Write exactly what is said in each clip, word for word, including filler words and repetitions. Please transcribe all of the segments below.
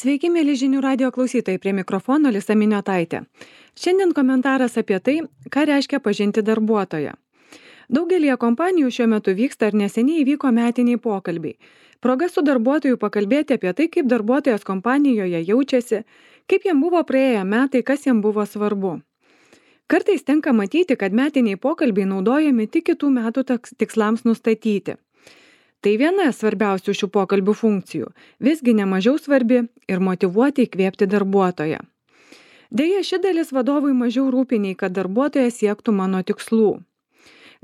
Sveiki, mėly žinių radio klausytojai, prie mikrofono Lisa Miniotaitė. Šiandien komentaras apie tai, ką reiškia pažinti darbuotoją. Daugelie kompanijų šiuo metu vyksta ir neseniai įvyko metiniai pokalbiai. Proga su darbuotoju pakalbėti apie tai, kaip darbuotojas kompanijoje jaučiasi, kaip jam buvo praėję metai, kas jam buvo svarbu. Kartais tenka matyti, kad metiniai pokalbiai naudojami tik kitų metų tikslams nustatyti. Tai viena svarbiausių šių pokalbių funkcijų, visgi nemažiau svarbi ir motyvuoti įkvėpti darbuotoją. Deja, ši dalis vadovui mažiau rūpi nei kad darbuotojas siektų mano tikslų.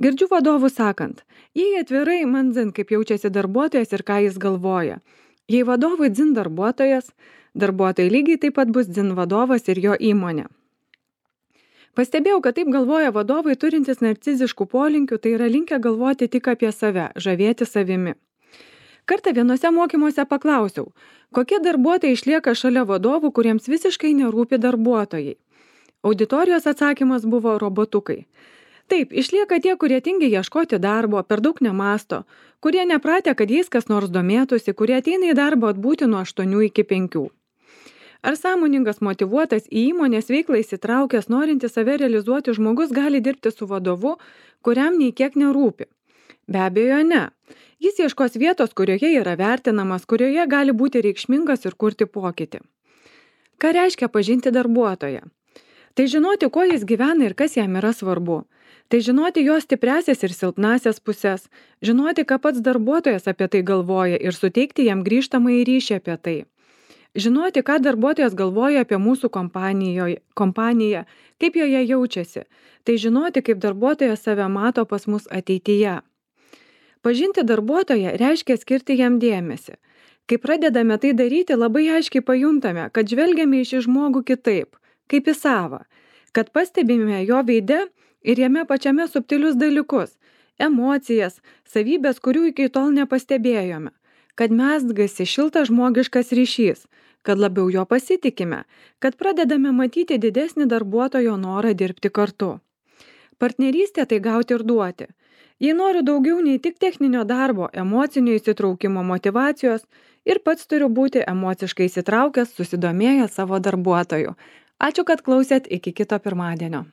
Girdžiu vadovų sakant, jei atvirai man dzin, kaip jaučiasi darbuotojas ir ką jis galvoja. Jei vadovui dzin darbuotojas, darbuotojai lygiai taip pat bus dzin vadovas ir jo įmonė. Pastebėjau, kad taip galvoja vadovai turintys narciziškų polinkių, tai yra linkę galvoti tik apie save, žavėti savimi. Kartą vienose mokymuose paklausiau, kokie darbuotojai išlieka šalia vadovų, kuriems visiškai nerūpi darbuotojai. Auditorijos atsakymas buvo robotukai. Taip, išlieka tie, kurie tingi ieškoti darbo, per daug nemąsto, kurie nepratę, kad jais kas nors domėtųsi, kurie ateina į darbą atbūti nuo aštuonių iki penkių. Ar sąmoningas, motyvuotas į įmonės veiklą įsitraukęs, norintis save realizuoti žmogus gali dirbti su vadovu, kuriam nei kiek nerūpi? Be abejo, ne. Jis ieškos vietos, kurioje yra vertinamas, kurioje gali būti reikšmingas ir kurti pokytį. Ką reiškia pažinti darbuotoją? Tai žinoti, kuo jis gyvena ir kas jam yra svarbu. Tai žinoti jo stipriasias ir silpnasias pusės, žinoti, ką pats darbuotojas apie tai galvoja ir suteikti jam grįžtamąjį ryšį apie tai. Žinoti, ką darbuotojas galvoja apie mūsų kompaniją, kaip joje jaučiasi. Tai žinoti, kaip darbuotojas save mato pas mus ateityje. Pažinti darbuotoją reiškia skirti jam dėmesį. Kai pradedame tai daryti, labai aiškiai pajuntame, kad žvelgiame į šį žmogų kitaip, kaip į savą, kad pastebime jo veide ir jame pačiame subtilius dalykus, emocijas, savybės, kurių iki tol nepastebėjome. Kad mezgasi šiltas žmogiškas ryšys, kad labiau jo pasitikime, kad pradedame matyti didesnį darbuotojo norą dirbti kartu. Partnerystė tai gauti ir duoti. Jei noriu daugiau nei tik techninio darbo, emocinio įsitraukimo, motyvacijos ir pats turiu būti emociškai įsitraukęs, susidomėjęs savo darbuotoju. Ačiū, kad klausėt, iki kito pirmadienio.